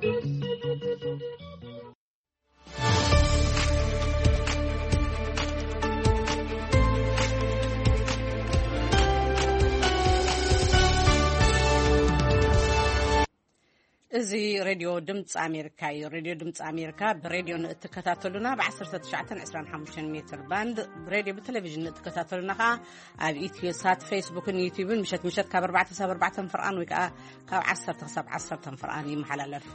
እዚ ሬድዮ ድምፂ ኣሜሪካ እዩ። ሬድዮ ድምፂ ኣሜሪካ ብሬድዮ ንእትከታተሉና ብ19 25 ሜትር ባንድ፣ ብሬድዮ ብቴሌቪዥን ንእትከታተሉና ከዓ ኣብ ኢትዮ ሳት፣ ፌስቡክን ዩቲዩብን ምሸት ምሸት ካብ ኣርባዕተ ክሳብ ኣርባዕተ ፍርቃን ወይ ከዓ ካብ ዓሰርተ ክሳብ ዓሰርተ ፍርቃን ይመሓላለፍ።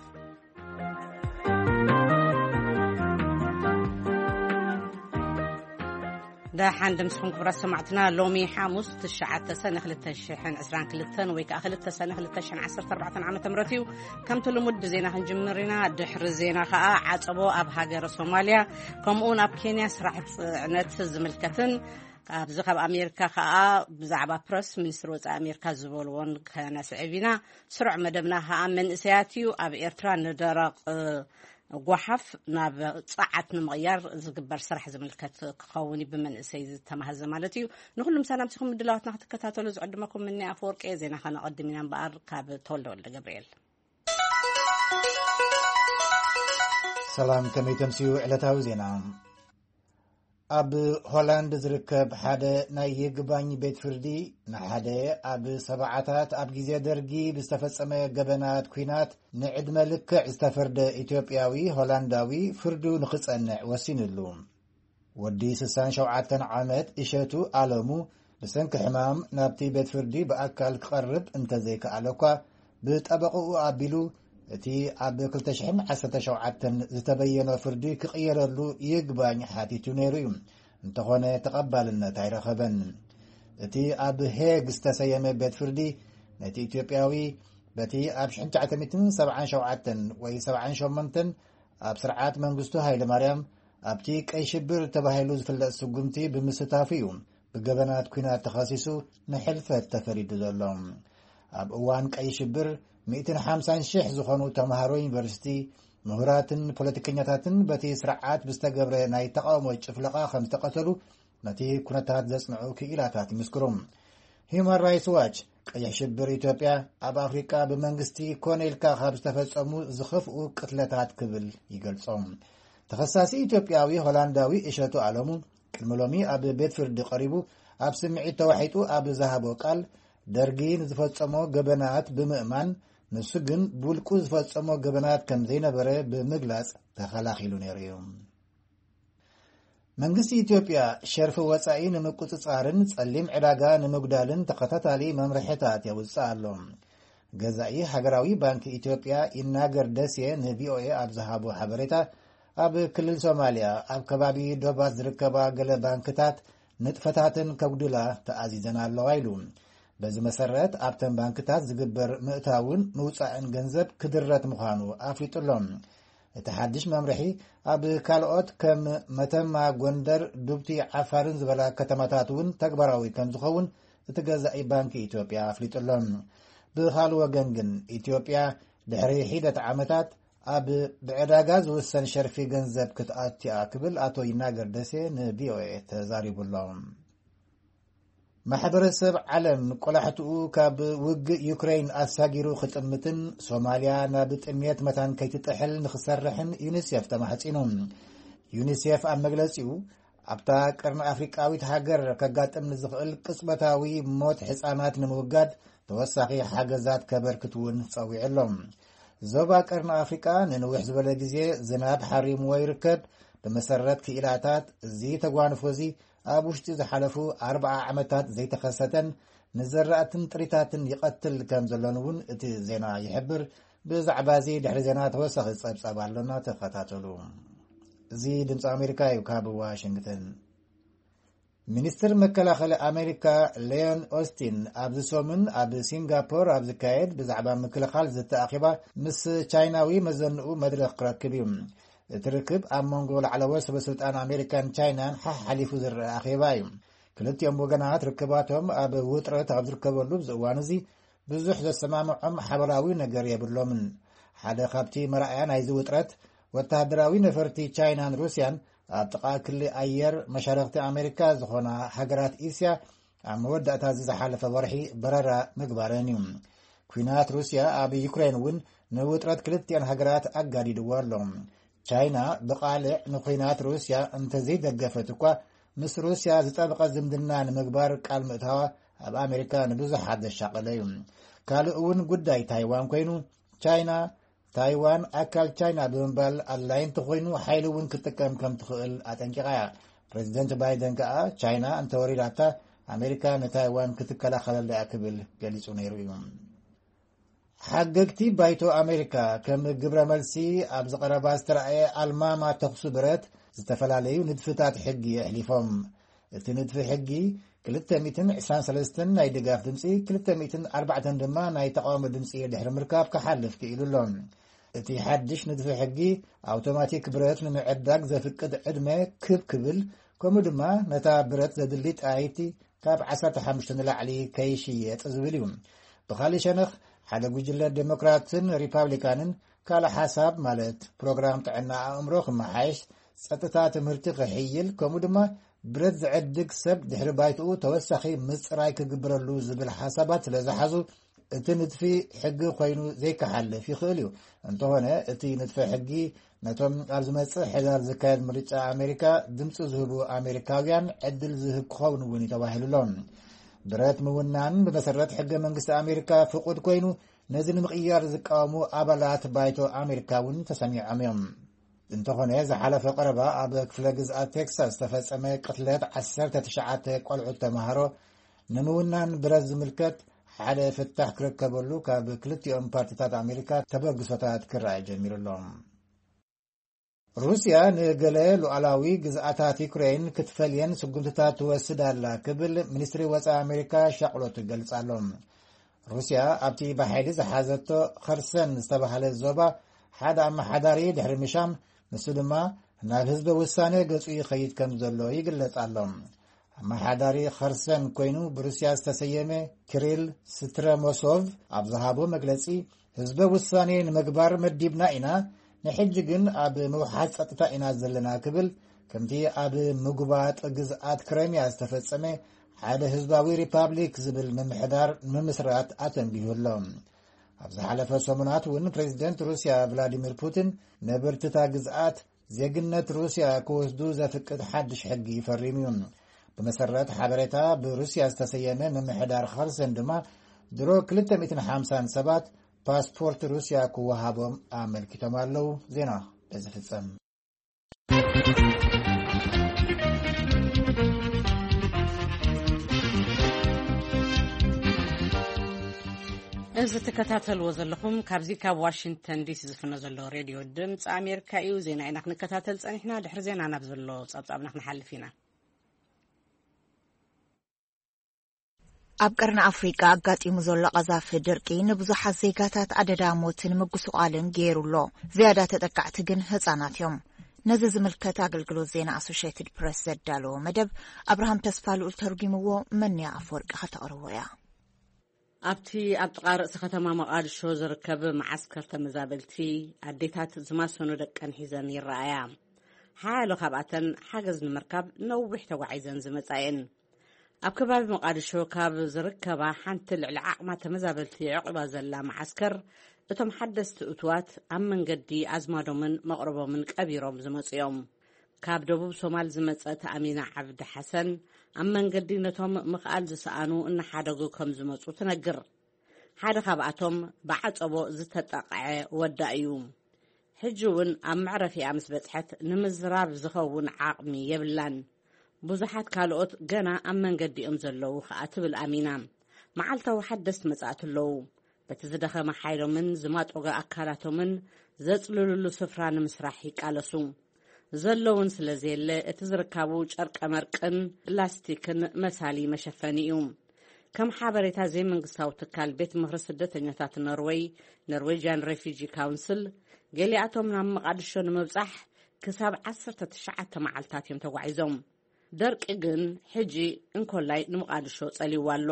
ደሓን ድምስኹም ክቡራት ሰማዕትና። ሎሚ ሓሙስ ትሽዓተ ሰነ ክልተ ሽሕን ዕስራን ክልተን ወይ ከዓ ክልተ ሰነ ክልተ ሽሕን ዓሰርተ ኣርባዕተን ዓመተ ምህረት እዩ። ከምቲ ልሙድ ብዜና ክንጅምር ኢና። ድሕሪ ዜና ከዓ ዓጸቦ ኣብ ሃገረ ሶማልያ ከምኡውን ኣብ ኬንያ ስራሕ ጽዕነት ዝምልከትን ኣብዚ ካብ ኣሜሪካ ከዓ ብዛዕባ ፕረስ ሚኒስትሪ ወፃኢ ኣሜሪካ ዝበልዎን ከነስዕብ ኢና። ስሩዕ መደብና ከዓ መንእሰያት እዩ። ኣብ ኤርትራ ንደረቕ ጓሓፍ ናብ ጸዓት ንምቕያር ዝግበር ስራሕ ዝምልከት ክኸውን እዩ፣ ብመንእሰይ ዝተማህዘ ማለት እዩ። ንኹሉም ሰላምቲኹም ምድላዋትና ክትከታተሉ ዝዕድመኩም ምኒ ኣፈወርቂ። ዜና ከነቐድም ኢና እምበኣር ካብ ተወልደ ወልደ ገብርኤል። ሰላም፣ ከመይ ተምስዩ ዕለታዊ ዜና? ኣብ ሆላንድ ዝርከብ ሓደ ናይ ይግባኝ ቤት ፍርዲ ንሓደ ኣብ ሰብዓታት ኣብ ግዜ ደርጊ ብዝተፈጸመ ገበናት ኲናት ንዕድመ ልክዕ ዝተፈርደ ኢትዮጵያዊ ሆላንዳዊ ፍርዱ ንኽጸንዕ ወሲኑሉ። ወዲ ስሳን ሸውዓተን ዓመት እሸቱ ኣለሙ ብሰንኪ ሕማም ናብቲ ቤት ፍርዲ ብኣካል ክቐርብ እንተዘይከኣለ እኳ፣ ብጠበቕኡ ኣቢሉ እቲ ኣብ ክልተ ሽሕን ዓሰርተ ሸውዓተን ዝተበየኖ ፍርዲ ክቕየረሉ ይግባኝ ሓቲቱ ነይሩ እዩ። እንተኾነ ተቐባልነት ኣይረኸበን። እቲ ኣብ ሄግ ዝተሰየመ ቤት ፍርዲ ነቲ ኢትዮጵያዊ በቲ ኣብ ሽሕን ትሽዓተ ሚእትን ሰብዓን ሸውዓተን ወይ ሰብዓን ሸሞንተን ኣብ ስርዓት መንግስቱ ሃይለማርያም ኣብቲ ቀይ ሽብር ተባሂሉ ዝፍለጥ ስጉምቲ ብምስታፉ እዩ ብገበናት ኲናት ተኸሲሱ ንሕልፈት ተፈሪዱ ዘሎ። ኣብ እዋን ቀይ ሽብር ሚእትን ሓምሳን ሽሕ ዝኾኑ ተምሃሮ ዩኒቨርሲቲ፣ ምሁራትን ፖለቲከኛታትን በቲ ስርዓት ብዝተገብረ ናይ ተቃውሞ ጭፍለቓ ከም ዝተቐተሉ ነቲ ኩነታት ዘጽንዑ ክኢላታት ይምስክሩ። ሂዩማን ራይትስ ዋች፣ ቀይሕ ሽብር ኢትዮጵያ ኣብ ኣፍሪቃ ብመንግስቲ ኮነ ኢልካ ካብ ዝተፈጸሙ ዝኸፍኡ ቅትለታት ክብል ይገልጾም። ተኸሳሲ ኢትዮጵያዊ ሆላንዳዊ እሸቱ ኣለሙ ቅድሚ ሎሚ ኣብ ቤት ፍርዲ ቀሪቡ ኣብ ስምዒት ተዋሒጡ ኣብ ዝሃቦ ቃል፣ ደርጊ ንዝፈጸሞ ገበናት ብምእማን፣ ንሱ ግን ብውልቁ ዝፈጸሞ ገበናት ከም ዘይነበረ ብምግላጽ ተኸላኺሉ ነይሩ እዩ። መንግስቲ ኢትዮጵያ ሸርፊ ወጻኢ ንምቁጽጻርን ጸሊም ዕዳጋ ንምጉዳልን ተኸታታሊ መምርሕታት የውጽእ ኣሎ። ገዛኢ ሃገራዊ ባንኪ ኢትዮጵያ ይናገር ደሴ ንቪኦኤ ኣብ ዝሃቦ ሓበሬታ፣ ኣብ ክልል ሶማልያ ኣብ ከባቢ ዶባት ዝርከባ ገለ ባንክታት ንጥፈታተን ከጉድላ ተኣዚዘን ኣለዋ ኢሉ። በዚ መሰረት ኣብተን ባንክታት ዝግበር ምእታውን ምውጻእን ገንዘብ ክድረት ምዃኑ ኣፍሊጡ ኣሎ። እቲ ሓድሽ መምርሒ ኣብ ካልኦት ከም መተማ፣ ጎንደር፣ ዱብቲ፣ ዓፋርን ዝበላ ከተማታት እውን ተግባራዊ ከም ዝኸውን እቲ ገዛኢ ባንኪ ኢትዮጵያ ኣፍሊጡ ኣሎ። ብኻልእ ወገን ግን ኢትዮጵያ ድሕሪ ሒደት ዓመታት ኣብ ብዕዳጋ ዝውሰን ሸርፊ ገንዘብ ክትኣቱ እያ ክብል ኣቶ ይናገር ደሴ ንቪኦኤ ተዛሪቡ ኣሎ። ማሕበረሰብ ዓለም ቆላሕትኡ ካብ ውግእ ዩክሬን ኣሳጊሩ ክጥምትን ሶማልያ ናብ ጥምየት መታን ከይትጥሕል ንክሰርሕን ዩኒሴፍ ተማሕጺኑ። ዩኒሴፍ ኣብ መግለጺኡ፣ ኣብታ ቀርኒ ኣፍሪቃዊት ሃገር ከጋጥም ንዝኽእል ቅጽበታዊ ሞት ህጻናት ንምውጋድ ተወሳኺ ሓገዛት ከበርክት እውን ጸዊዑ ኣሎ። ዞባ ቀርኒ ኣፍሪቃ ንንውሕ ዝበለ ግዜ ዝናብ ሓሪምዎ ይርከብ። ብመሰረት ክኢላታት፣ እዚ ተጓንፎ እዚ ኣብ ውሽጢ ዝሓለፉ ኣርብዓ ዓመታት ዘይተኸሰተን ንዘራእትን ጥሪታትን ይቐትል ከም ዘሎን እውን እቲ ዜና ይሕብር። ብዛዕባ እዚ ድሕሪ ዜና ተወሳኺ ጸብጻብ ኣሎና፣ ተኸታተሉ። እዚ ድምፂ ኣሜሪካ እዩ፣ ካብ ዋሽንግተን። ሚኒስትር መከላኸሊ ኣሜሪካ ሌዮን ኦስቲን ኣብዚ ሰሙን ኣብ ሲንጋፖር ኣብ ዝካየድ ብዛዕባ ምክልኻል ዘተኣኺባ ምስ ቻይናዊ መዘንኡ መድረኽ ክረክብ እዩ። እቲ ርክብ ኣብ መንጎ ላዕለዎት ሰበስልጣን ኣሜሪካን ቻይናን ሓሓሊፉ ዝረአ ኣኼባ እዩ። ክልቲኦም ወገናት ርክባቶም ኣብ ውጥረት ኣብ ዝርከበሉ ኣብዚ እዋን እዚ ብዙሕ ዘሰማምዖም ሓበራዊ ነገር የብሎምን። ሓደ ካብቲ መርኣያ ናይዚ ውጥረት፣ ወተሃደራዊ ነፈርቲ ቻይናን ሩስያን ኣብ ጥቓ ክሊ ኣየር መሻርኽቲ ኣሜሪካ ዝኾና ሃገራት እስያ ኣብ መወዳእታ እዚ ዝሓለፈ ወርሒ በረራ ምግባረን እዩ። ኲናት ሩስያ ኣብ ዩክሬን እውን ንውጥረት ክልቲኣን ሃገራት ኣጋዲድዎ ኣሎ። ቻይና ብቓልዕ ንኲናት ሩስያ እንተዘይደገፈት እኳ፣ ምስ ሩስያ ዝጠበቐ ዝምድና ንምግባር ቃል ምእታዋ ኣብ ኣሜሪካ ንብዙሓት ዘሻቐለ እዩ። ካልእ እውን ጉዳይ ታይዋን ኮይኑ፣ ቻይና ታይዋን ኣካል ቻይና ብምባል ኣድላይ እንተኾይኑ ሓይሊ እውን ክትጥቀም ከም ትኽእል ኣጠንቂቓ እያ። ፕሬዚደንት ባይደን ከኣ ቻይና እንተወሪዳታ ኣሜሪካ ንታይዋን ክትከላኸለላ እያ ክብል ገሊጹ ነይሩ እዩ። ሓገግቲ ባይቶ ኣሜሪካ ከም ግብረ መልሲ ኣብ ዝቐረባ ዝተረኣየ ኣልማማ ተኹሲ ብረት ዝተፈላለዩ ንድፍታት ሕጊ ኣሕሊፎም። እቲ ንድፊ ሕጊ ክልተ ሚእትን ዕስራን ሰለስተን ናይ ድጋፍ ድምፂ፣ ክልተ ሚእትን ኣርባዕተን ድማ ናይ ተቃውሞ ድምፂ ድሕሪ ምርካብ ክሓልፍ ክኢሉ ኣሎ። እቲ ሓድሽ ንድፊ ሕጊ ኣውቶማቲክ ብረት ንምዕዳግ ዘፍቅድ ዕድመ ክብ ክብል፣ ከምኡ ድማ ነታ ብረት ዘድሊ ጣይቲ ካብ ዓሰርተ ሓሙሽተ ንላዕሊ ከይሽየጥ ዝብል እዩ። ብኻሊእ ሸነኽ ሓደ ጉጅለ ዴሞክራትን ሪፓብሊካንን ካልእ ሓሳብ ማለት ፕሮግራም ጥዕና ኣእምሮ ክመሓየሽ፣ ጸጥታ ትምህርቲ ክሕይል፣ ከምኡ ድማ ብረት ዝዕድግ ሰብ ድሕሪ ባይትኡ ተወሳኺ ምጽራይ ክግብረሉ ዝብል ሓሳባት ስለ ዝሓዙ እቲ ንድፊ ሕጊ ኮይኑ ዘይከሓልፍ ይኽእል እዩ። እንተኾነ እቲ ንድፈ ሕጊ ነቶም ኣብ ዝመጽእ ሕዳር ዝካየድ ምርጫ ኣሜሪካ ድምፂ ዝህቡ ኣሜሪካውያን ዕድል ዝህብ ክኸውን እውን እዩ ተባሂሉ ኣሎ። ብረት ምውናን ብመሰረት ሕገ መንግስቲ ኣሜሪካ ፍቁድ ኮይኑ፣ ነዚ ንምቕያር ዝቃወሙ ኣባላት ባይቶ ኣሜሪካ እውን ተሰሚዖም እዮም። እንተኾነ ዝሓለፈ ቀረባ ኣብ ክፍለ ግዝኣት ቴክሳስ ዝተፈጸመ ቅትለት ዓሰርተ ትሽዓተ ቆልዑት ተምሃሮ ንምውናን ብረት ዝምልከት ሓደ ፍታሕ ክርከበሉ ካብ ክልቲኦም ፓርቲታት ኣሜሪካ ተበግሶታት ክረኣይ ጀሚሩ ኣሎ። ሩስያ ንገለ ሉዓላዊ ግዝኣታት ዩክሬን ክትፈልየን ስጉምትታት ትወስድ ኣላ ክብል ሚኒስትሪ ወፃኢ ኣሜሪካ ሻቕሎት ይገልጽ ኣሎ። ሩስያ ኣብቲ ብሓይሊ ዝሓዘቶ ኸርሰን ዝተባህለ ዞባ ሓደ ኣመሓዳሪ ድሕሪ ምሻም፣ ንሱ ድማ ናብ ህዝበ ውሳነ ገጹ ይኸይድ ከም ዘሎ ይግለጽ ኣሎ። ኣመሓዳሪ ኸርሰን ኮይኑ ብሩስያ ዝተሰየመ ኪሪል ስትረሞሶቭ ኣብ ዝሃቦ መግለጺ፣ ህዝበ ውሳኔ ንምግባር መዲብና ኢና፣ ንሕጂ ግን ኣብ ምውሓስ ጸጥታ ኢና ዘለና ክብል፣ ከምቲ ኣብ ምጉባጥ ግዝኣት ክረምያ ዝተፈጸመ ሓደ ህዝባዊ ሪፓብሊክ ዝብል ምምሕዳር ንምስራት ኣተንቢሁ ኣሎ። ኣብ ዝሓለፈ ሰሙናት እውን ፕሬዚደንት ሩስያ ቭላዲሚር ፑቲን ነበርትታ ግዝኣት ዜግነት ሩስያ ክወስዱ ዘፍቅድ ሓድሽ ሕጊ ፈሪሙ እዩ። ብመሰረት ሓበሬታ ብሩስያ ዝተሰየመ ምምሕዳር ኸርሰን ድማ ድሮ ክልተ ሚእትን ሓምሳን ሰባት ፓስፖርት ሩስያ ክወሃቦም ኣመልኪቶም ኣለዉ። ዜና በዚ ፍጸም። እዚ ትከታተልዎ ዘለኹም ካብዚ ካብ ዋሽንግተን ዲሲ ዝፍኖ ዘሎ ሬድዮ ድምፂ ኣሜሪካ እዩ። ዜና ኢና ክንከታተል ጸኒሕና። ድሕሪ ዜና ናብ ዘሎ ጸብጻብና ክንሓልፍ ኢና። ኣብ ቀርኒ ኣፍሪቃ ኣጋጢሙ ዘሎ ቀዛፊ ድርቂ ንብዙሓት ዜጋታት ኣደዳ ሞትን ምጉስቋልን ገይሩ ኣሎ። ዝያዳ ተጠቃዕቲ ግን ህጻናት እዮም። ነዚ ዝምልከት ኣገልግሎት ዜና ኣሶሽየትድ ፕረስ ዘዳለዎ መደብ ኣብርሃም ተስፋ ልኡል ተርጒምዎ፣ መንያ ኣፈወርቂ ከተቕርቦ እያ። ኣብቲ ኣብ ጥቓ ርእሲ ከተማ መቓድሾ ዝርከብ መዓስከር ተመዛበልቲ፣ ኣዴታት ዝማሰኑ ደቀን ሒዘን ይረኣያ። ሓያሎ ካብኣተን ሓገዝ ንምርካብ ነዊሕ ተጓዒዘን ዝመጻ እየን። ኣብ ከባቢ መቓድሾ ካብ ዝርከባ ሓንቲ ልዕሊ ዓቕማ ተመዛበልቲ የዕቑባ ዘላ መዓስከር፣ እቶም ሓደስቲ እቱዋት ኣብ መንገዲ ኣዝማዶምን መቕረቦምን ቀቢሮም ዝመጹ እዮም። ካብ ደቡብ ሶማል ዝመጸት ኣሚና ዓብዲ ሓሰን፣ ኣብ መንገዲ ነቶም ምኽኣል ዝሰኣኑ እናሓደጉ ከም ዝመጹ ትነግር። ሓደ ካብኣቶም ብዓጸቦ ዝተጠቕዐ ወዳ እዩ። ሕጂ እውን ኣብ መዕረፊኣ ምስ በጽሐት ንምዝራብ ዝኸውን ዓቕሚ የብላን። ብዙሓት ካልኦት ገና ኣብ መንገዲ እዮም ዘለዉ ኸኣ ትብል ኣሚና። መዓልታዊ ሓደስቲ መጻእቲ ኣለዉ። በቲ ዝደኸመ ሓይሎምን ዝማጦገ ኣካላቶምን ዘጽልሉሉ ስፍራ ንምስራሕ ይቃለሱ። ዘለውን ስለ ዘየለ እቲ ዝርካቡ ጨርቀ መርቅን ላስቲክን መሳሊ መሸፈኒ እዩ። ከም ሓበሬታ ዘይመንግስታዊ ትካል ቤት ምኽሪ ስደተኛታት ኖርወይ፣ ኖርዌጅያን ሬፊጂ ካውንስል፣ ገሊኣቶም ናብ መቓድሾ ንምብጻሕ ክሳብ ዓሰርተ ትሽዓተ መዓልታት እዮም ተጓዒዞም። ደርቂ ግን ሕጂ እንኮላይ ንመቓድሾ ጸልይዋ ኣሎ።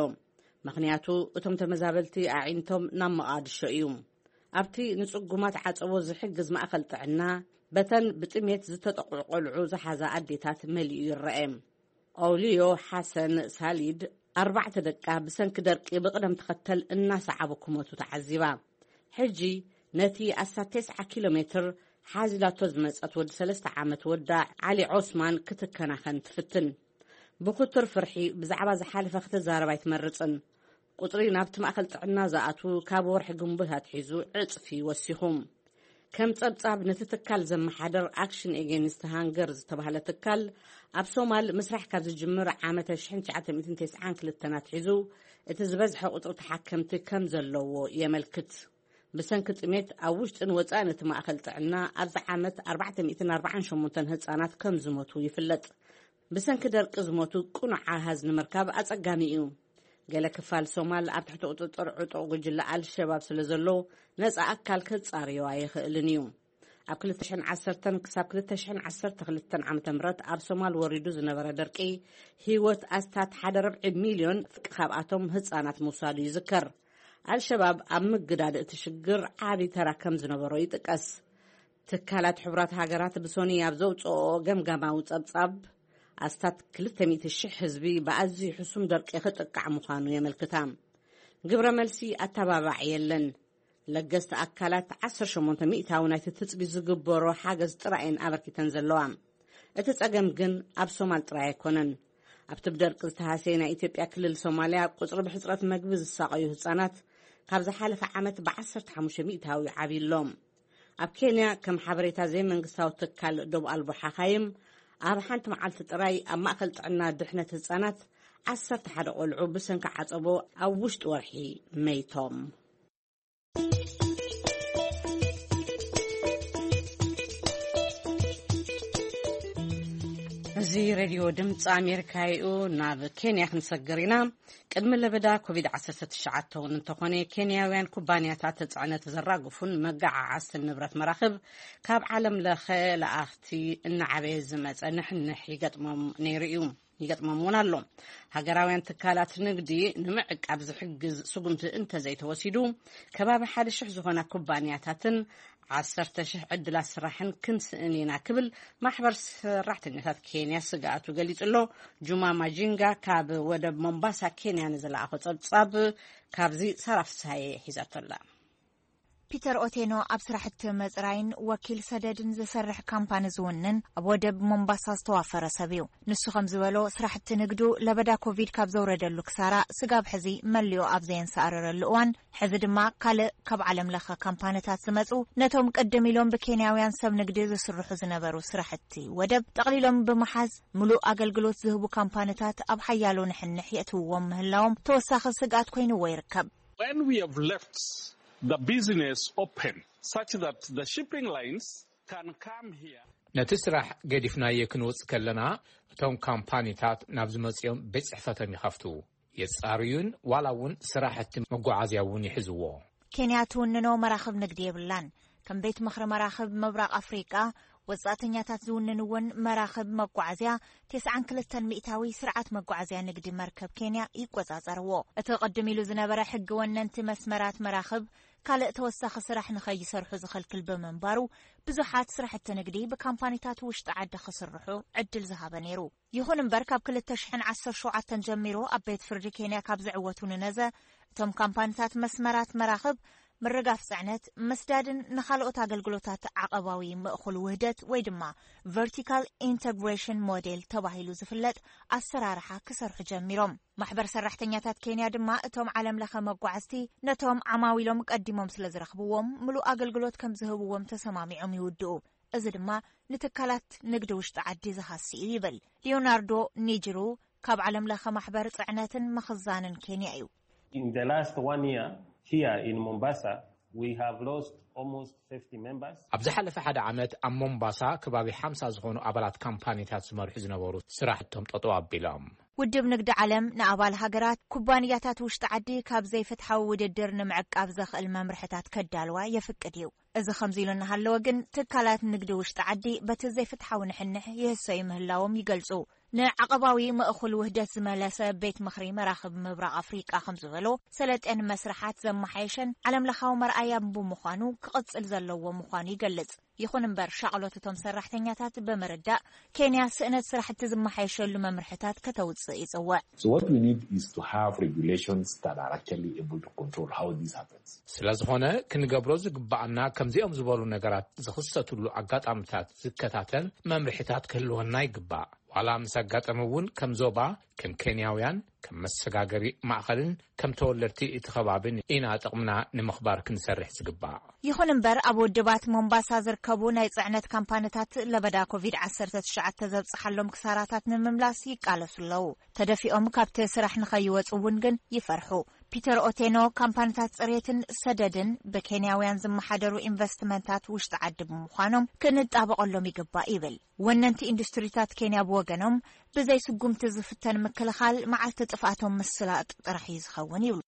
ምኽንያቱ እቶም ተመዛበልቲ ኣዒንቶም ናብ መቓድሾ እዩ። ኣብቲ ንጽጉማት ዓጸቦ ዝሕግዝ ማእከል ጥዕና፣ በተን ብጥሜት ዝተጠቕዑ ቆልዑ ዝሓዛ ኣዴታት መሊኡ ይረአ። ኦውልዮ ሓሰን ሳሊድ ኣርባዕተ ደቃ ብሰንኪ ደርቂ ብቕደም ተኸተል እናሰዓቡ ክሞቱ ተዓዚባ። ሕጂ ነቲ ኣስታት ተስዓ ኪሎ ሜትር ሓዚላቶ ዝመጸት ወዲ ሰለስተ ዓመት ወዳ ዓሊ ዖስማን ክትከናኸን ትፍትን። ብክቱር ፍርሒ ብዛዕባ ዝሓለፈ ክትዛረብ ኣይትመርጽን። ቁጽሪ ናብቲ ማእከል ጥዕና ዝኣትዉ ካብ ወርሒ ግንቦት ኣትሒዙ ዕጽፊ ወሲኹ። ከም ጸብጻብ ነቲ ትካል ዘመሓደር ኣክሽን ኤጌንስት ሃንገር ዝተባህለ ትካል፣ ኣብ ሶማል ምስራሕ ካብ ዝጅምር ዓመተ ሽሕን ትሽዓተ ሚእትን ተስዓን ክልተን ኣትሒዙ እቲ ዝበዝሐ ቁጽሪ ተሓከምቲ ከም ዘለዎ የመልክት። ብሰንኪ ጥሜት ኣብ ውሽጥን ወጻእን እቲ ማእከል ጥዕና ኣብዚ ዓመት ኣርባዕተ ሚእትን ኣርባዓን ሸሞንተን ህጻናት ከም ዝሞቱ ይፍለጥ። ብሰንኪ ደርቂ ዝሞቱ ቅኑዕ ኣሃዝ ንምርካብ ኣጸጋሚ እዩ። ገለ ክፋል ሶማል ኣብ ትሕቲ ቁጽጽር ዕጡቕ ጉጅለ ኣልሸባብ ስለ ዘሎ፣ ነጻ ኣካል ከጻርዮ ኣይኽእልን እዩ። ኣብ ክልተ ሽሕን ዓሰርተን ክሳብ ክልተ ሽሕን ዓሰርተ ክልተን ዓመተ ምህረት ኣብ ሶማል ወሪዱ ዝነበረ ደርቂ፣ ህይወት ኣስታት ሓደ ርብዒ ሚልዮን ካብኣቶም ህጻናት ምውሳዱ ይዝከር። ኣልሸባብ ኣብ ምግዳድ እቲ ሽግር ዓቢ ተራ ከም ዝነበሮ ይጥቀስ። ትካላት ሕቡራት ሃገራት ብሶኒ ኣብ ዘውጽኦ ገምጋማዊ ጸብጻብ፣ ኣስታት ክልተ ሚእቲ ሽሕ ህዝቢ ብኣዝዩ ሕሱም ደርቂ ክጥቃዕ ምዃኑ የመልክታ። ግብረ መልሲ ኣተባባዕ የለን። ለገስቲ ኣካላት ዓሰርተ ሸሞንተ ሚእታዊ ናይቲ ትጽቢ ዝግበሮ ሓገዝ ጥራይ እየን ኣበርኪተን ዘለዋ። እቲ ጸገም ግን ኣብ ሶማል ጥራይ ኣይኮነን። ኣብቲ ብደርቂ ዝተሃሰየ ናይ ኢትዮጵያ ክልል ሶማልያ፣ ቁጽሪ ብሕጽረት መግቢ ዝሳቐዩ ህጻናት ካብ ዝሓለፈ ዓመት ብዓሰርተ ሓሙሽተ ሚእታዊ ዓብዩ ኣሎ። ኣብ ኬንያ፣ ከም ሓበሬታ ዘይመንግስታዊ ትካል ዶብ ኣልቦ ሓኻይም፣ ኣብ ሓንቲ መዓልቲ ጥራይ ኣብ ማእከል ጥዕና ድሕነት ህጻናት ዓሰርተ ሓደ ቆልዑ ብሰንኪ ዓጸቦ ኣብ ውሽጢ ወርሒ መይቶም። እዚ ሬድዮ ድምፂ ኣሜሪካ እዩ። ናብ ኬንያ ክንሰግር ኢና። ቅድሚ ለበዳ ኮቪድ ዓሰርተ ትሽዓተ እውን እንተኾነ፣ ኬንያውያን ኩባንያታት ጽዕነት ዘራግፉን መገዓዓዝትን ንብረት መራኽብ ካብ ዓለም ለኸ ለኣኽቲ እናዓበየ ዝመጸ ንሕንሕ ይገጥሞም ነይሩ እዩ። ይገጥሞም እውን ኣሎ። ሃገራውያን ትካላት ንግዲ ንምዕቃብ ዝሕግዝ ስጉምቲ እንተዘይተወሲዱ፣ ከባቢ ሓደ ሽሕ ዝኾና ኩባንያታትን ዓሰርተ ሽሕ ዕድላት ስራሕን ክንስእን ኢና ክብል ማሕበር ሰራሕተኛታት ኬንያ ስግኣቱ ገሊጹ ኣሎ። ጁማ ማጂንጋ ካብ ወደብ ሞምባሳ ኬንያ ንዝለኣኾ ጸብጻብ ካብዚ ሳራ ፍስሃየ ሒዛቶ ኣላ። ፒተር ኦቴኖ ኣብ ስራሕቲ መጽራይን ወኪል ሰደድን ዝሰርሕ ካምፓኒ ዝውንን፣ ኣብ ወደብ ሞምባሳ ዝተዋፈረ ሰብ እዩ። ንሱ ከም ዝበሎ፣ ስራሕቲ ንግዱ ለበዳ ኮቪድ ካብ ዘውረደሉ ክሳራ ስጋብ ሕዚ መሊኡ ኣብ ዘየንሰኣረረሉ እዋን፣ ሕዚ ድማ ካልእ ካብ ዓለም ለኸ ካምፓኒታት ዝመጹ፣ ነቶም ቅድም ኢሎም ብኬንያውያን ሰብ ንግዲ ዝስርሑ ዝነበሩ ስራሕቲ ወደብ ጠቕሊሎም ብምሓዝ፣ ምሉእ ኣገልግሎት ዝህቡ ካምፓኒታት ኣብ ሓያሎ ንሕንሕ የእትውዎም ምህላዎም ተወሳኺ ስግኣት ኮይንዎ ይርከብ። When we have left the business open such that the shipping lines can come here. ነቲ ስራሕ ገዲፍናዮ ክንወጽእ ከለና፣ እቶም ካምፓኒታት ናብ ዝመጽኦም ቤት ጽሕፈቶም ይኸፍቱ፣ የጻርዩን ዋላ እውን ስራሕቲ መጓዓዝያ እውን ይሕዝዎ። ኬንያ ትውንኖ መራኽብ ንግዲ የብላን። ከም ቤት ምኽሪ መራኽብ ምብራቕ ኣፍሪቃ፣ ወጻእተኛታት ዝውንንወን መራኽብ መጓዓዝያ፣ ተስዓን ክልተን ሚእታዊ ስርዓት መጓዓዝያ ንግዲ መርከብ ኬንያ ይቆጻጸርዎ። እቲ ቅድም ኢሉ ዝነበረ ሕጊ ወነንቲ መስመራት መራኽብ ካልእ ተወሳኺ ስራሕ ንኸይሰርሑ ዝኸልክል ብምንባሩ፣ ብዙሓት ስራሕቲ ንግዲ ብካምፓኒታት ውሽጢ ዓዲ ክስርሑ ዕድል ዝሃበ ነይሩ። ይኹን እምበር፣ ካብ ክልተ ሽሕን ዓሰርተ ሸውዓተን ጀሚሩ ኣብ ቤት ፍርዲ ኬንያ ካብ ዝዕወቱ ንነዘ፣ እቶም ካምፓኒታት መስመራት መራኽብ፣ ምርጋፍ ጽዕነት፣ ምስዳድን ንኻልኦት ኣገልግሎታት ዓቐባዊ ምእኹል ውህደት ወይ ድማ ቨርቲካል ኢንተግሬሽን ሞዴል ተባሂሉ ዝፍለጥ ኣሰራርሓ ክሰርሑ ጀሚሮም። ማሕበር ሰራሕተኛታት ኬንያ ድማ እቶም ዓለም ለኸ መጓዓዝቲ ነቶም ዓማዊሎም ቀዲሞም ስለ ዝረኽብዎም ምሉእ ኣገልግሎት ከም ዝህብዎም ተሰማሚዖም ይውድኡ። እዚ ድማ ንትካላት ንግዲ ውሽጢ ዓዲ ዝሃሲ እዩ ይብል ሊዮናርዶ ኒጅሩ ካብ ዓለም ለኸ ማሕበር ጽዕነትን ምኽዛንን ኬንያ እዩ። In the last one year here in Mombasa, we have lost almost fifty members. ኣብ ዝሓለፈ ሓደ ዓመት ኣብ ሞምባሳ ከባቢ ሓምሳ ዝኾኑ ኣባላት ካምፓኒታት ዝመርሑ ዝነበሩ ስራሕቶም ጠጠው ኣቢሎም። ውድብ ንግዲ ዓለም ንኣባል ሃገራት ኩባንያታት ውሽጢ ዓዲ ካብ ዘይፍትሓዊ ውድድር ንምዕቃብ ዘኽእል መምርሕታት ከዳልዋ የፍቅድ እዩ። እዚ ከምዚ ኢሉ እናሃለወ ግን፣ ትካላት ንግዲ ውሽጢ ዓዲ በቲ ዘይፍትሓዊ ንሕንሕ ይህሰዩ ምህላዎም ይገልጹ። ንዓቐባዊ ምእኹል ውህደት ዝመለሰ ቤት ምኽሪ መራኽብ ምብራቕ ኣፍሪቃ ከም ዝበሎ፣ ሰለጤን መስርሓት ዘመሓየሸን ዓለምለኻዊ መርኣያ ብምዃኑ ክቕጽል ዘለዎ ምዃኑ ይገልጽ። ይኹን እምበር፣ ሻቕሎት እቶም ሰራሕተኛታት ብምርዳእ፣ ኬንያ ስእነት ስራሕቲ ዝመሓየሸሉ መምርሕታት ከተውጽእ ይጽውዕ። So what we need is to have regulations that are actually able to control how this happens. ስለ ዝኾነ፣ ክንገብሮ ዝግባኣና፣ ከምዚኦም ዝበሉ ነገራት ዝኽሰትሉ ኣጋጣምታት ዝከታተል መምርሕታት ክህልወና ይግባእ። ዋላ ምስ ኣጋጠመ እውን፣ ከም ዞባ፣ ከም ኬንያውያን፣ ከም መሰጋገሪ ማእኸልን ከም ተወለድቲ እቲ ከባብን ኢና ጥቕምና ንምኽባር ክንሰርሕ ዝግባእ። ይኹን እምበር፣ ኣብ ውድባት ሞምባሳ ዝርከቡ ናይ ጽዕነት ካምፓኒታት ለበዳ ኮቪድ ዓሰርተ ትሽዓተ ዘብጽሓሎም ክሳራታት ንምምላስ ይቃለሱ ኣለዉ። ተደፊኦም ካብቲ ስራሕ ንኸይወጹ እውን ግን ይፈርሑ። ፒተር ኦቴኖ፣ ካምፓኒታት ጽሬትን ሰደድን ብኬንያውያን ዝመሓደሩ ኢንቨስትመንታት ውሽጢ ዓዲ ብምዃኖም ክንጣበቐሎም ይግባእ ይብል። ወነንቲ ኢንዱስትሪታት ኬንያ ብወገኖም፣ ብዘይ ስጉምቲ ዝፍተን ምክልኻል መዓልቲ ጥፍኣቶም ምስላጥ ጥራሕ እዩ ዝኸውን ይብሉ።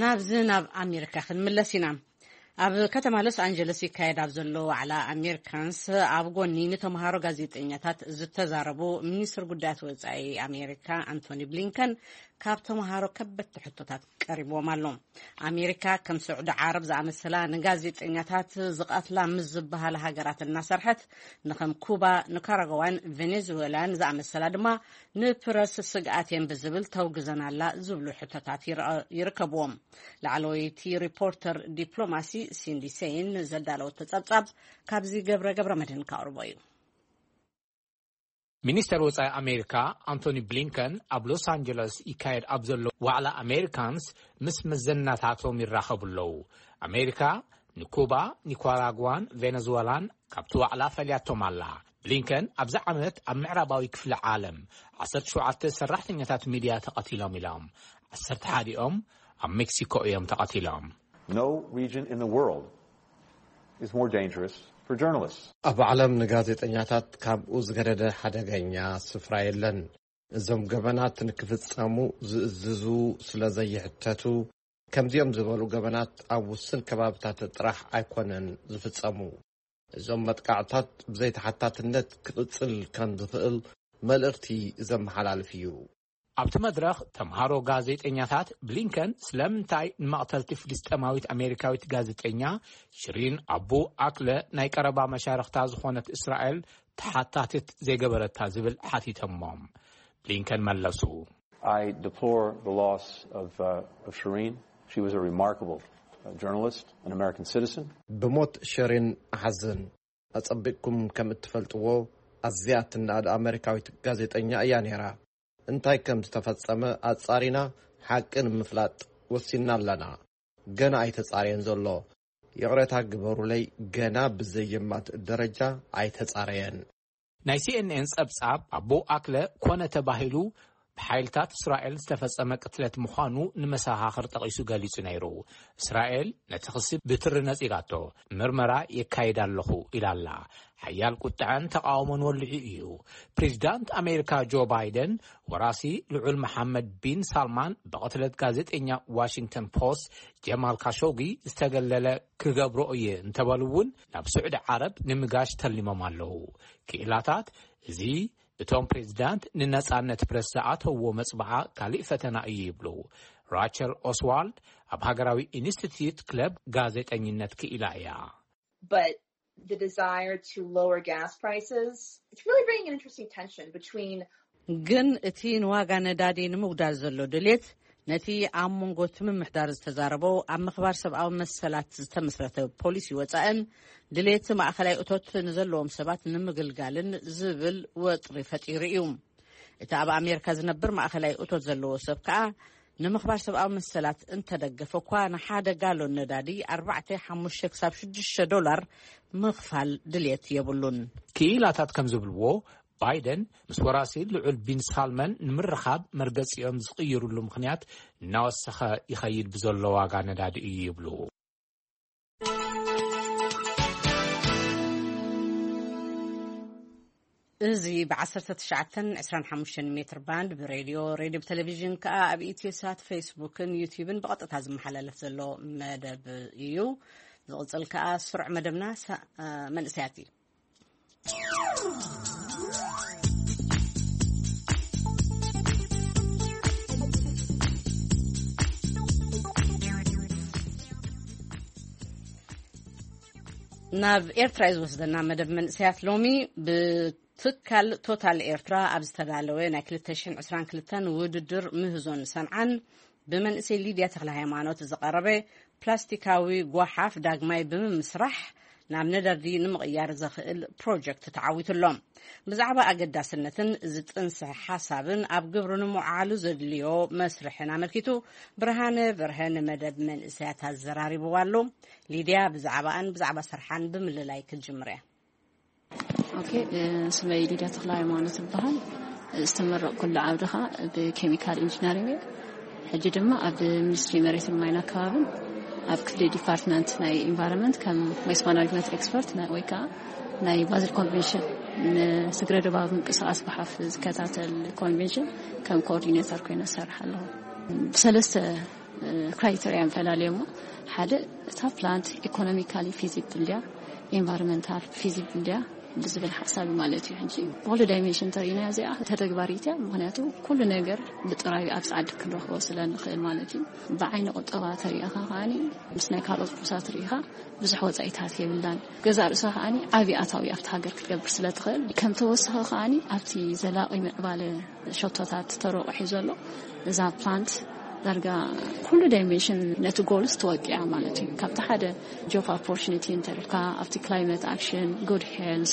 ናብዚ ናብ ኣሜሪካ ክንምለስ ኢና። ኣብ ከተማ ሎስ ኣንጀለስ ይካየድ ኣብ ዘሎ ዋዕላ ኣሜሪካንስ፣ ኣብ ጎኒ ንተምሃሮ ጋዜጠኛታት ዝተዛረቡ ሚኒስትር ጉዳያት ወጻኢ ኣሜሪካ ኣንቶኒ ብሊንከን፣ ካብ ተምሃሮ ከበድቲ ሕቶታት ቀሪብዎም ኣሎ። ኣሜሪካ ከም ስዑዲ ዓረብ ዝኣመሰላ ንጋዜጠኛታት ዝቐትላ ምስ ዝበሃላ ሃገራት እናሰርሐት፣ ንኸም ኩባ፣ ኒካራጓዋን ቬኔዙዌላን ዝኣመሰላ ድማ ንፕረስ ስግኣት እየን ብዝብል ተውግዘን ኣላ ዝብሉ ሕቶታት ይርአ-፣ ይርከብዎም። ላዕለወይቲ ሪፖርተር ዲፕሎማሲ ሲንዲ ሴይን ዘዳለወቶ ጸብጻብ፣ ካብዚ ገብረ ገብረ መድህን ከቕርቦ እዩ። ሚኒስተር ወጻኢ ኣሜሪካ ኣንቶኒ ብሊንከን ኣብ ሎስ ኣንጀለስ ይካየድ ኣብ ዘሎ ዋዕላ ኣሜሪካንስ ምስ መዘናታቶም ይራኸቡ ኣለዉ። ኣሜሪካ ንኩባ፣ ኒካራጓን ቬነዙዌላን ካብቲ ዋዕላ ፈልያቶም ኣላ። ብሊንከን ኣብዚ ዓመት ኣብ ምዕራባዊ ክፍሊ ዓለም ዓሰርተ ሸውዓተ ሰራሕተኛታት ሚድያ ተቐቲሎም ኢሎም። ዓሰርተ ሓደኦም ኣብ ሜክሲኮ እዮም ተቐቲሎም። No region in the world is more dangerous for journalists. ኣብ ዓለም ንጋዜጠኛታት ካብኡ ዝገደደ ሓደገኛ ስፍራ የለን። እዞም ገበናት ንክፍጸሙ ዝእዝዙ ስለ ዘይሕተቱ፣ ከምዚኦም ዝበሉ ገበናት ኣብ ውስን ከባብታት ጥራሕ ኣይኮነን ዝፍጸሙ። እዞም መጥቃዕታት ብዘይተሓታትነት ክቕጽል ከም ዝኽእል መልእኽቲ ዘመሓላልፍ እዩ። ኣብቲ መድረኽ ተምሃሮ ጋዜጠኛታት ብሊንከን ስለምንታይ ንመቕተልቲ ፍልስጤማዊት ኣሜሪካዊት ጋዜጠኛ ሽሪን ኣቡ ኣክለ ናይ ቀረባ መሻርኽታ ዝኾነት እስራኤል ተሓታትት ዘይገበረታ ዝብል ሓቲቶሞም። ብሊንከን መለሱ። I deplore the loss of, uh, of Shireen. She was a remarkable, uh, journalist, an American citizen. ብሞት ሸሪን እሓዝን። ኣጸቢቕኩም ከም እትፈልጥዎ፣ ኣዝያ ትናድ ኣመሪካዊት ጋዜጠኛ እያ ነይራ። እንታይ ከም ዝተፈጸመ ኣጻሪና ሓቂ ንምፍላጥ ወሲንና ኣለና። ገና ኣይተጻረየን ዘሎ። ይቕሬታ ግበሩለይ፣ ገና ብዘየማት ደረጃ ኣይተጻረየን። ናይ ሲኤንኤን ጸብጻብ፣ ኣቡ ኣክለ ኮነ ተባሂሉ ብሓይልታት እስራኤል ዝተፈጸመ ቅትለት ምዃኑ ንመሰኻኽር ጠቒሱ ገሊጹ ነይሩ። እስራኤል ነቲ ክሲ ብትሪ ነጺጋቶ፣ ምርመራ የካይድ ኣለኹ ኢላ ኣላ። ሓያል ቁጥዐን ተቓውሞን ወሊዑ እዩ። ፕሬዚዳንት ኣሜሪካ ጆ ባይደን፣ ወራሲ ልዑል መሓመድ ቢን ሳልማን ብቕትለት ጋዜጠኛ ዋሽንግተን ፖስት ጀማል ካሾጊ ዝተገለለ ክገብሮ እየ እንተበሉ እውን፣ ናብ ስዑዲ ዓረብ ንምጋሽ ተሊሞም ኣለዉ። ክኢላታት፣ እዚ እቶም ፕሬዚዳንት ንነጻነት ፕረስ ዝኣተውዎ መጽብዓ ካልእ ፈተና እዩ ይብሉ። ራቸል ኦስዋልድ ኣብ ሃገራዊ ኢንስቲትዩት ክለብ ጋዜጠኝነት ክኢላ እያ። But the desire to lower gas prices, it's really bringing an interesting tension between. ግን እቲ ንዋጋ ነዳዲ ንምጉዳል ዘሎ ድሌት፣ ነቲ ኣብ መንጎ እቲ ምምሕዳር ዝተዛረበው ኣብ ምኽባር ሰብኣዊ መሰላት ዝተመስረተ ፖሊሲ ወጻእን ድሌት ማእኸላይ እቶት ንዘለዎም ሰባት ንምግልጋልን ዝብል ወጥሪ ፈጢሩ እዩ። እቲ ኣብ ኣሜሪካ ዝነብር ማእኸላይ እቶት ዘለዎ ሰብ ከኣ፣ ንምኽባር ሰብኣዊ መሰላት እንተደገፈ እኳ፣ ንሓደ ጋሎን ነዳዲ ኣርባዕተ፣ ሓሙሽተ ክሳብ ሽዱሽተ ዶላር ምኽፋል ድልየት የብሉን። ክኢላታት ከም ዝብልዎ፣ ባይደን ምስ ወራሲ ልዑል ቢን ሳልመን ንምርኻብ መርገጺኦም ዝቕይሩሉ ምኽንያት እናወሰኸ ይኸይድ ብዘሎ ዋጋ ነዳዲ እዩ ይብሉ። እዚ ብ19 25 ሜትር ባንድ ብሬድዮ፣ ሬድዮ ብቴሌቪዥን ከኣ ኣብ ኢትዮሳት፣ ፌስቡክን ዩቲዩብን ብቐጥታ ዝመሓላለፍ ዘሎ መደብ እዩ። ዝቕጽል ከኣ ስሩዕ መደብና ሳ-፣ እ፣ መንእሰያት እዩ። ናብ ኤርትራ እዩ ዝወስደና መደብ መንእሰያት ሎሚ። ብትካል ቶታል ኤርትራ ኣብ ዝተዳለወ ናይ 2022 ውድድር ምህዞን ሰንዓን ብመንእሰይ ሊድያ ተኽለ ሃይማኖት ዝቐረበ ፕላስቲካዊ ጓሓፍ ዳግማይ ብምምስራሕ ናብ ነዳዲ ንምቕያር ዘኽእል ፕሮጀክት ተዓዊቱ ኣሎ። ብዛዕባ ኣገዳስነትን ዝጥንሰ ሓሳብን ኣብ ግብሪ ንምውዓሉ ዘድልዮ መስርሕን ኣመልኪቱ ብርሃነ በርሀ ንመደብ መንእሰያት ኣዘራሪብዋ ኣሎ። ሊድያ ብዛዕባኣን ብዛዕባ ስርሓን ብምልላይ ክትጅምር እያ። ኦኬ፣ እ፣ ስመይ ሊድያ ተኽለ ሃይማኖት ይበሃል። ዝተመረቕኩሉ ዓውዲ ኸኣ ብኬሚካል ኢንጂነሪንግ እየ። ሕጂ ድማ ኣብ ሚኒስትሪ መሬትን ማይን ኣከባብን ኣብ ክፍሊ ዲፓርትመንት ናይ ኢንቫይሮንመንት ከም ዌስት ማናጅመንት ኤክስፐርት ና-፣ ወይ ከዓ ናይ ባዝል ኮንቬንሽን ንስግረ ዶባዊ ምንቅስቃስ ጓሓፍ ዝከታተል ኮንቬንሽን ከም ኮኦርዲኔተር ኮይነ እሰርሕ ኣለኹ። ብሰለስተ ክራይተሪያ ንፈላልዮ እሞ፣ ሓደ፣ እታ ፕላንት ኢኮኖሚካሊ ፊዚብል ድያ፣ ኢንቫይሮንመንታል ፊዚብል ድያ ብዝብል ሓሳብ ማለት እዩ። ሕጂ ብኩሉ ዳይሜንሽን ተሪእና እዚኣ ተተግባሪት እያ። ምኽንያቱ ኩሉ ነገር ብጥራዩ ኣብ ጻዕዲ ክንረኽቦ ስለ ንኽእል ማለት እዩ። ብዓይኒ ቁጠባ ተሪእኻ ከኣኒ ምስ ናይ ካልኦት ቁሳት ርኢኻ ብዙሕ ወጻኢታት የብላን። ገዛ ርእሳ ከኣኒ ዓቢ ኣታዊ ኣብቲ ሃገር ክትገብር ስለ ትኽእል፣ ከም ተወሳኺ ከኣኒ ኣብቲ ዘላቒ ምዕባለ ሸቶታት ተረቑሑ ዘሎ እዛ ፕላንት ዳርጋ ኩሉ ዳይሜንሽን ነቲ ጎልስ ትወቅያ ማለት እዩ። ካብቲ ሓደ ጆብ ኦፖርቹኒቲ እንተልካ ኣብቲ ክላይመት ኣክሽን፣ ጉድ ሄልዝ፣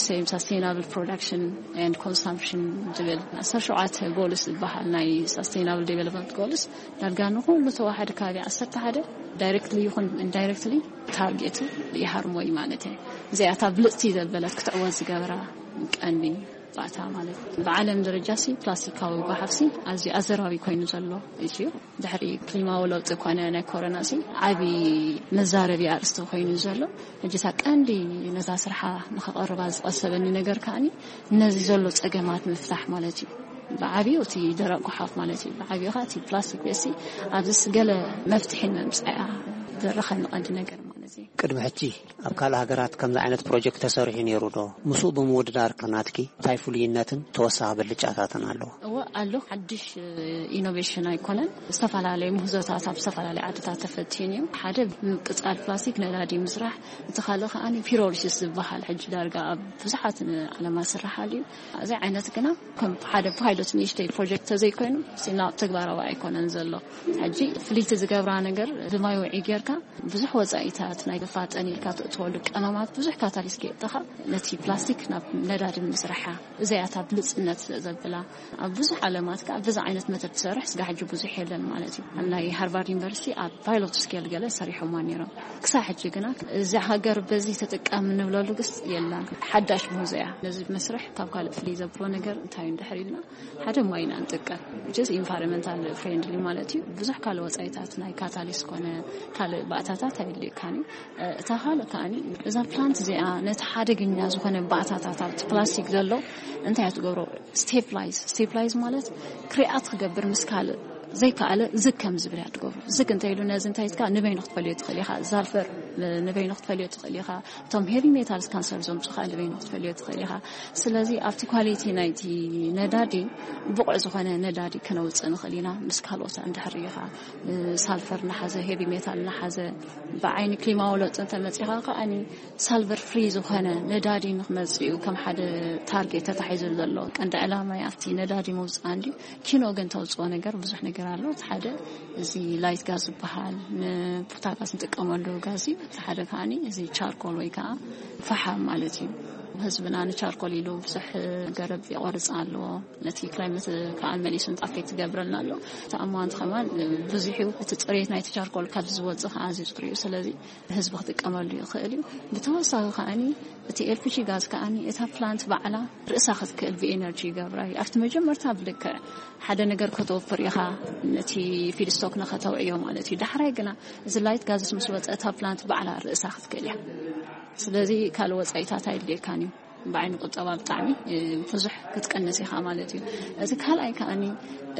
ሴም ሳስቴናብል ፕሮዳክሽን ኤንድ ኮንሳምፕሽን ዝብል 17 ጎልስ ዝበሃል ናይ ሳስቴናብል ዴቨሎፕመንት ጎልስ ዳርጋ ንኩሉ ተዋሓደ ከባቢ 11 ዳይሬክትሊ ይኹን ኢንዳይሬክትሊ ታርጌቱ ይሃርሞ እዩ ማለት እዩ። እዚኣታ ብልፅቲ ዘበለት ክትዕወት ዝገብራ ቀንዲ ባእታ ማለት እዩ። ብዓለም ደረጃ ሲ ፕላስቲካዊ ጓሓፍ ሲ ኣዝዩ ኣዘራቢ ኮይኑ ዘሎ እዩ። ድሕሪ ክሊማዊ ለውጢ ኮነ ናይ ኮሮና ሲ ዓቢ መዛረቢ ኣርእስቲ ኮይኑ ዘሎ። ሕጂ እታ ቀንዲ ነዛ ስርሓ ንኸቐርባ ዝቐሰበኒ ነገር ከኣኒ ነዚ ዘሎ ጸገማት ምፍታሕ ማለት እዩ። ብዓብዩ እቲ ደረቕ ጓሓፍ ማለት እዩ። ብዓብዩ ኸኣ እቲ ፕላስቲክ ቤሲ ኣብዚ ገለ መፍትሒ ንምምጻእ እያ ዘረኸኒ ቀንዲ ነገር ማለት እዩ። ቅድሚ ሕጂ ኣብ ካልእ ሃገራት ከምዚ ዓይነት ፕሮጀክት ተሰሪሑ ነይሩ ዶ? ምስኡ ብምውድዳር ከ ናትኪ እንታይ ፍሉይነትን ተወሳኺ ብልጫታትን ኣለዎ? እወ ኣሎ። ሓድሽ ኢኖቬሽን ኣይኮነን። ዝተፈላለዩ ምህዞታት ኣብ ዝተፈላለዩ ዓድታት ተፈትዩ እዩ። ሓደ ምቅጻል ፕላስቲክ ነዳዲ ምስራሕ፣ እቲ ካልእ ከኣ ፒሮሊሲስ ዝበሃል ሕጂ ዳርጋ ኣብ ብዙሓት ዓለማት ዝስርሓሉ እዩ። እዚ ዓይነት ግና ከም ሓደ ፓይሎት ንእሽተይ ፕሮጀክት ተዘይኮይኑ ሲና ተግባራዊ ኣይኮነን ዘሎ። ሕጂ ፍልይቲ ዝገብራ ነገር ብማይ ውዒ ጌርካ ብዙሕ ወጻኢታት ናይ ዘፋጠን ኢልካ ትእትወሉ ቀመማት ብዙሕ ካታሊስት ከየእተኻ ነቲ ፕላስቲክ ናብ ነዳዲ ምስርሓ እዚኣታ ብልጽነት ዘብላ ኣብ ብዙሕ ዓለማት ከኣ በዚ ዓይነት መተት ትሰርሕ ስጋ ሕጂ ብዙሕ የለን ማለት እዩ። ኣብ ናይ ሃርቫርድ ዩኒቨርሲቲ ኣብ ፓይሎት ስኬል ገለ ሰሪሖማ ነይሮም። ክሳብ ሕጂ ግና እዚ ሃገር በዚ ተጠቃሚ ንብለሉ ግስ የላን። ሓዳሽ ምህዞ እያ። ነዚ መስርሕ ካብ ካልእ ፍልይ ዘብሎ ነገር እንታይ እዩ እንድሕር ኢልና ሓደ ማይ ኢና ንጥቀም። ጀስ ኢንቫይሮንመንታል ፍሬንድሊ ማለት እዩ። ብዙሕ ካልእ ወጻኢታት ናይ ካታሊስት ኮነ ካልእ ባእታታት ኣየድልየካን እዩ። እ፣ እታ ካልእ ከኣኒ እዛ ፕላንት እዚኣ ነቲ ሓደገኛ ዝኾነ ባእታታት ኣብቲ ፕላስቲክ ዘሎ እንታይ እያ ትገብሮ? ስቴፕላይዝ። ስቴፕላይዝ ማለት ክሪኣት ክገብር ምስ ካልእ ዘይከኣለ ዝግ ከም ዝብል እያ ትገብሮ። ዝግ እንተ ኢሉ ነዚ እንታይ ኢልካ ንበይኑ ክትፈልዮ ትኽእል ኢኻ። ዛልፈር ን-፣ ንበይኑ ክትፈልዮ ትኽእል ኢኻ። እቶም ሄቪ ሜታልስ ካንሰር ዘምጹ ኸኣ ንበይኑ ክትፈልዮ ትኽእል ኢኻ። ስለዚ ኣብቲ ኳሊቲ ናይቲ ነዳዲ ብቑዕ ዝኾነ ነዳዲ ክነውጽእ ንኽእል ኢና። ምስ ካልኦት እንድሕር ኢኻ፣ እ፣ ሳልፈር እናሓዘ፣ ሄቪ ሜታል እናሓዘ፣ ብዓይኒ ክሊማዊ ለውጢ እንተመጺኻ ከኣኒ ሳልቨር ፍሪ ዝኾነ ነዳዲ ንኽመጽእ እዩ ከም ሓደ ታርጌት ተታሒዙ ዘሎ። ቀንዲ ዕላማ ኣብቲ ነዳዲ ምውጻእ እንድዩ። ኪኖ ግን ተውጽኦ ነገር ብዙሕ ነገር ኣሎ። እቲ ሓደ እዚ ላይት ጋዝ ዝበሃል ንቡታጋዝ ንጥቀመሉ ጋዝ እዩ። እቲ ሓደ ከኣኒ እዚ ቻርኮል ወይ ከዓ ፈሓም ማለት እዩ። ህዝብና ንቻርኮል ኢሉ ብዙሕ ገረብ ይቆርጽ ኣለዎ። ነቲ ክላይመት ከዓ መሊሱ ኣፌክት ይገብረልና ኣሎ። እቲ ኣማውንት ከማን ብዙሕ እዩ። እቲ ጽሬት ናይቲ ቻርኮል ካብዚ ዝወጽእ ከዓ ኣዝዩ ጽሩይ እዩ። ስለዚ ህዝቢ ክጥቀመሉ ይኽእል እዩ። ብተወሳኺ ከኣኒ እቲ ኤልፒጂ ጋዝ ከኣኒ እታ ፕላንት ባዕላ ርእሳ ክትክእል ብኤነርጂ ይገብራ እዩ። ኣብቲ መጀመርታ ብልክዕ ሓደ ነገር ከተወፍር ኢኻ፣ ነቲ ፊድስቶክ ንኸተውዕዮ ማለት እዩ። ዳሕራይ ግና እዚ ላይት ጋዝስ ምስ ወፀ እታ ፕላንት ባዕላ ርእሳ ክትክእል እያ። ስለዚ ካልእ ወፃኢታት ኣየድልየካን እዩ። ብዓይኒ ቁጠባ ብጣዕሚ ብዙሕ ክትቀንስ ኢኻ ማለት እዩ። እቲ ካልኣይ ከኣኒ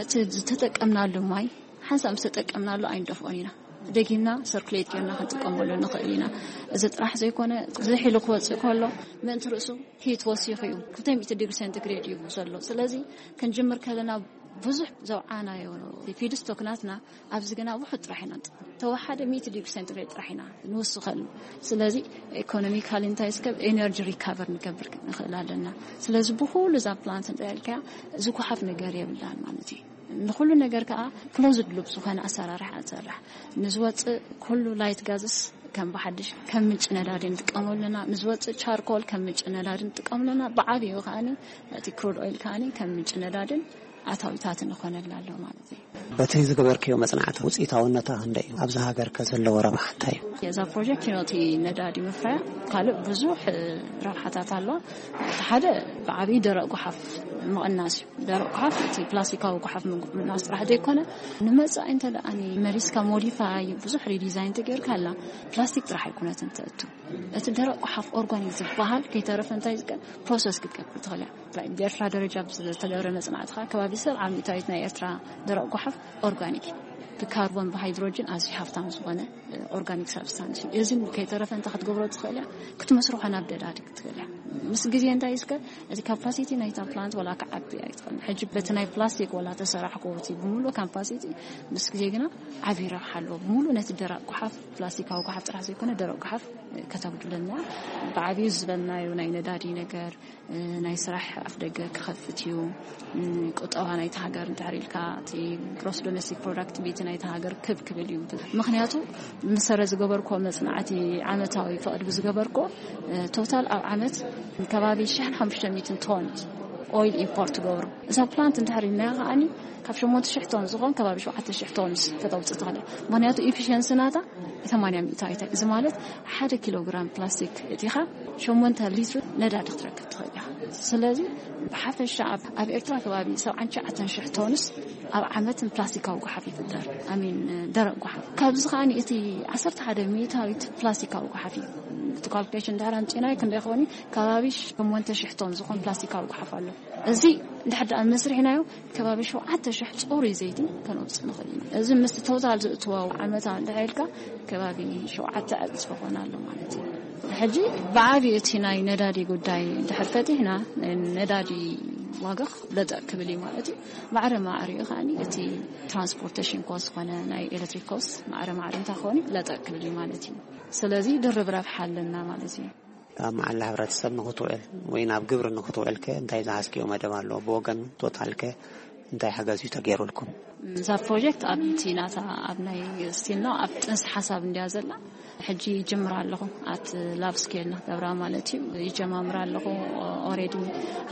እቲ ዝተጠቀምናሉ ማይ ሓንሳብ ዝተጠቀምናሉ ኣይንደፍኦን ኢና። ደጊምና ሰርኩሌት ጌርና ክንጥቀመሉ ንኽእል ኢና። እዚ ጥራሕ ዘይኮነ ዝሒሉ ክወፅእ ከሎ ምእንቲ ርእሱ ሂት ወሲኹ እዩ። ክልተ ሚእቲ ዲግሪ ሴንቲግሬድ እዩ ዘሎ። ስለዚ ክንጅምር ከለና ብዙሕ ዘውዓናዮ ፊድስቶክ ናትና ኣብዚ ግና ውሑድ ጥራሕ ኢና ንጥቀም። ተወሓደ ሚእቲ ዲግሪ ሴንቲግሬድ ጥራሕ ኢና ንውስኸሉ። ስለዚ ኢኮኖሚካሊ እንታይ እስከ ኤነርጂ ሪካቨር ንገብር ንኽእል ኣለና። ስለዚ ብኩሉ እዛ ፕላንት እንታይ ኢልካያ ዝጉሓፍ ነገር የብላን ማለት እዩ። ንኹሉ ነገር ከዓ ክሎዝድ ሉፕ ዝኾነ ኣሰራርሓ ንሰርሕ። ንዝወፅእ ኩሉ ላይት ጋዝስ ከም ብሓድሽ ከም ምንጭ ነዳዲ ንጥቀመሉ ኣለና። ንዝወፅእ ቻርኮል ከም ምንጭ ነዳዲ ንጥቀመሉ ኣለና። ብዓብዩ ከዓኒ እቲ ክሩድ ኦይል ከዓኒ ከም ምንጭ ነዳድን ኣታዊታት ንኾነላ ኣሎ ማለት እዩ። በቲ ዝገበርክዮ መጽናዕቲ ውጽኢታውነታ ክንደይ እዩ? ኣብዚ ሃገር ከ ዘለዎ ረብሓ እንታይ እዩ? እዛ ፕሮጀክት ነቲ ነዳዲ ምፍራያ ካልእ ብዙሕ ረብሓታት ኣለዋ። እቲ ሓደ ብዓብዪ ደረቕ ጓሓፍ ምቕናስ እዩ። ደረቕ ጓሓፍ እቲ ፕላስቲካዊ ጓሓፍ ምቕናስ ጥራሕ ዘይኮነ ንመጻኢ እንተ ደኣ መሊስካ ሞዲፋይ ብዙሕ ሪዲዛይን ተገይርካ ኣላ ፕላስቲክ ጥራሕ ኣይኮነትን ተእቱ። እቲ ደረቕ ጓሓፍ ኦርጋኒክ ዝበሃል ከይተረፈ እንታይ ዝቀ ፕሮሰስ ክትገብር ትኽእል እያ። ብኤርትራ ደረጃ ብዝተገብረ መጽናዕቲ ኸኣ ከባቢ ሰብዓ ሚእታዊት ናይ ኤርትራ ደረቕ ጓሓፍ ኦርጋኒክ እዩ። ብካርቦን ብሃይድሮጅን ኣዝዩ ሃፍታም ዝኾነ ኦርጋኒክ ሳብስታንስ እዩ። እዚ ከይተረፈ እንታይ ክትገብሮ ትኽእል እያ? ክትመስርሖ ናብ ደዳዲ ክትኽእል እያ። ምስ ግዜ እንታይ እስከ እቲ ካፓሲቲ ናይታ ፕላንት ወላ ክዓቢ ኣይትኽእልን። ሕጂ በቲ ናይ ፕላስቲክ ወላ ተሰራሕኮ እቲ ብምሉእ ካፓሲቲ ምስ ግዜ ግና ዓብዪ ረብሓ ኣለዎ። ብምሉእ ነቲ ደረቕ ጓሓፍ ፕላስቲካዊ ጓሓፍ ጥራሕ ዘይኮነ ደረቕ ጓሓፍ ከተጉድለና። ብዓብዩ ዝበልናዮ ናይ ነዳዲ ነገር ናይ ስራሕ ኣፍደገ ክኸፍት እዩ። ቁጠባ ናይቲ ሃገር እንድሕር ኢልካ እቲ ግሮስ ዶሜስቲክ ፕሮዳክት ቤቲ ናይቲ ሃገር ክብ ክብል እዩ። ምክንያቱ ምሰረ ዝገበርኮ መፅናዕቲ ዓመታዊ ፍቕድ ብዝገበርኮ ቶታል ኣብ ዓመት ከባቢ ሽሕን ሓሙሽተ ሚእትን ቶን ኦይል ኢምፖርት ትገብሩ። እዛ ፕላንት እንድሕር ኢልና ከዓኒ ካብ ሸሞንተ ሽሕ ቶን ዝኾን ከባቢ ሸውዓተ ሽሕ ቶንስ ከተውፅእ ትኽእል እያ። ምክንያቱ ኢፊሽንሲ ናታ ሰማንያ ሚእታዊት እዩ። እዚ ማለት ሓደ ኪሎ ግራም ፕላስቲክ እቲኻ ሸሞንተ ሊትር ነዳዲ ክትረክብ ትኽእል ኢኻ። ስለዚ ብሓፈሻ ኣብ ኣብ ኤርትራ ከባቢ ሰብዓን ትሽዓተን ሽሕ ቶንስ ኣብ ዓመት ፕላስቲካዊ ጓሓፍ ይፍጠር። ኣሚን ደረቕ ጓሓፍ ካብዚ ከዓኒ እቲ ዓሰርተ ሓደ ሚእታዊት ፕላስቲካዊ ጓሓፍ እዩ። እቲ ካልኩሌሽን ድሕር ኣምፂናዮ ክንደይ ክኾን እዩ? ከባቢ ሸሞንተ ሽሕ ቶን ዝኾን ፕላስቲካዊ ጓሓፍ ኣሎ። እዚ ድሕር ደኣ መስርሕናዮ ከባቢ ሸውዓተ ሽሕ ፅሩይ ዘይቲ ከነውፅእ ንኽእል ኢና። እዚ ምስቲ ቶታል ዝእትዎ ዓመታዊ እንድሕር ኢልካ ከባቢ ሸውዓተ ዕፅፊ ክኾን ኣሎ ማለት እዩ። ሕጂ ብዓብዩ እቲ ናይ ነዳዲ ጉዳይ እንድሕር ፈቲሕና ነዳዲ ዋጋ ለጠ ክብል እዩ ማለት እዩ። ማዕረ ማዕሪኡ ከዓኒ እቲ ትራንስፖርቴሽን ኮስት ዝኾነ ናይ ኤሌክትሪክ ኮስት ማዕረ ማዕሪ እንታይ ክኾን እዩ ለጠ ክብል እዩ ማለት እዩ። ስለዚ ድርብ ረብሓ ኣለና ማለት እዩ። ኣብ መዓላ ሕብረተሰብ ንኽትውዕል ወይ ናብ ግብሪ ንኽትውዕል ከ እንታይ ዝሓዝክዮ መደብ ኣሎ? ብወገን ቶታል ከ እንታይ ሓገዝ እዩ ተገይሩልኩም? እዛ ፕሮጀክት ኣብቲ ናታ ኣብ ናይ ስቲል ነው ኣብ ጥንሲ ሓሳብ እንድያ ዘላ። ሕጂ ይጅምር ኣለኹ ኣት ላብ ስኬል ንክገብራ ማለት እዩ። ይጀማምር ኣለኹ። ኦሬዲ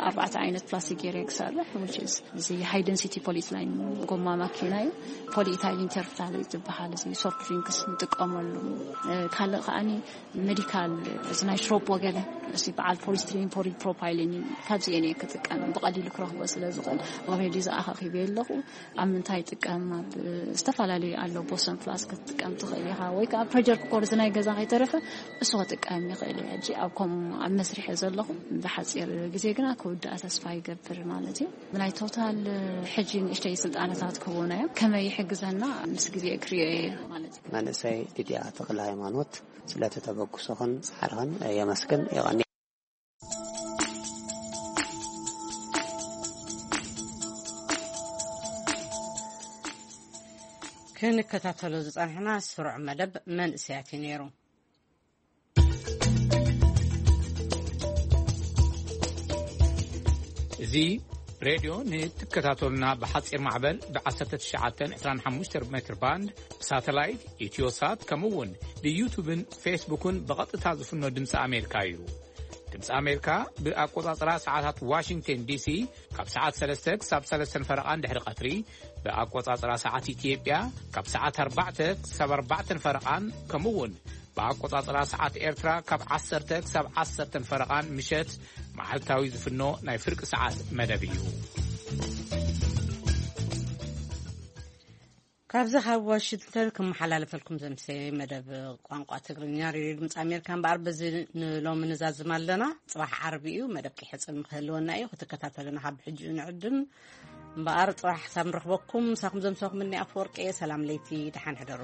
ኣርባዕተ ዓይነት ፕላስቲክ ገይረ ክሰርሕ which is እዚ ሃይ ደንሲቲ ፖሊትላይን ጎማ ማኪና እዩ። ፖሊኢታይሊን ተርፍታል ዝበሃል እዚ ሶፍት ድሪንክስ ንጥቀመሉ። ካልእ ከዓኒ ሜዲካል እዚ ናይ ሽሮፖ ገለ እዚ በዓል ፖሊስትሪን ፖሊፕሮፓይሊን እዩ። ካብዚኤን እየ ክጥቀም ብቐሊሉ ክረኽቦ ስለ ዝኽእል ኦሬዲ ዝኣኻኺበ ኣለኹ። ኣብ ምንታይ ይጥቀም ኣብ ዝተፈላለዩ ኣሎ ቦሰን ፕላስ ክትጥቀም ትኽእል ኢኻ ወይ ከዓ ፕሬጀር ኩኮር እዚ ናይ ገዛ ከይተረፈ እሱ ክጥቀም ይኽእል እየ። ሕጂ ኣብ ከምኡ ኣብ መስርሕ እየ ዘለኹ። ብሓፂር ግዜ ግና ክውድኣ ተስፋ ይገብር ማለት እዩ። ናይ ቶታል ሕጂ ንእሽተይ ስልጣነታት ክህቡና እዮም። ከመይ ይሕግዘና ምስ ግዜ ክሪኦ እየ ማለት እዩ። መንእሰይ ሊድያ ተኽለ ሃይማኖት ስለቲ ተበግሶኽን ጻዕርኽን የመስግን። የቐኒ። ክንከታተሎ ዝጸንሕና ስሩዕ መደብ መንእሰያት እዩ ነይሩ። እዚ ሬድዮ ንትከታተሉና ብሓጺር ማዕበል ብ1925 ሜትር ባንድ ብሳተላይት ኢትዮሳት ከምኡ እውን ብዩቱብን ፌስቡክን ብቐጥታ ዝፍኖ ድምፂ ኣሜሪካ እዩ። ድምፂ ኣሜሪካ ብኣቆጻጽራ ሰዓታት ዋሽንግተን ዲሲ ካብ ሰዓት ሰለስተ ክሳብ ሰለስተን ፈረቓን ድሕሪ ቀትሪ፣ ብኣቆጻጽራ ሰዓት ኢትዮጵያ ካብ ሰዓት ኣርባዕተ ክሳብ ኣርባዕተን ፈረቓን፣ ከምኡ እውን ብኣቆጻጽራ ሰዓት ኤርትራ ካብ ዓሰርተ ክሳብ ዓሰርተን ፈረቓን ምሸት መዓልታዊ ዝፍኖ ናይ ፍርቂ ሰዓት መደብ እዩ። ካብዚ ካብ ዋሽንግተን ክመሓላለፈልኩም ዘምሰ መደብ ቋንቋ ትግርኛ ሬድዮ ድምፂ ኣሜሪካ እምበኣር፣ በዚ ንሎሚ ንዛዝም ኣለና። ፅባሕ ዓርቢ እዩ፣ መደብ ቂሐፅን ክህልወና እዩ። ክትከታተሉና ካብ ሕጂ ንዕድም እምበኣር፣ ፅባሕ ክሳብ ንረኽበኩም፣ ምሳኹም ዘምሰኹም እኒ ኣፈወርቂ እየ። ሰላም ለይቲ፣ ደሓን ሕደሩ።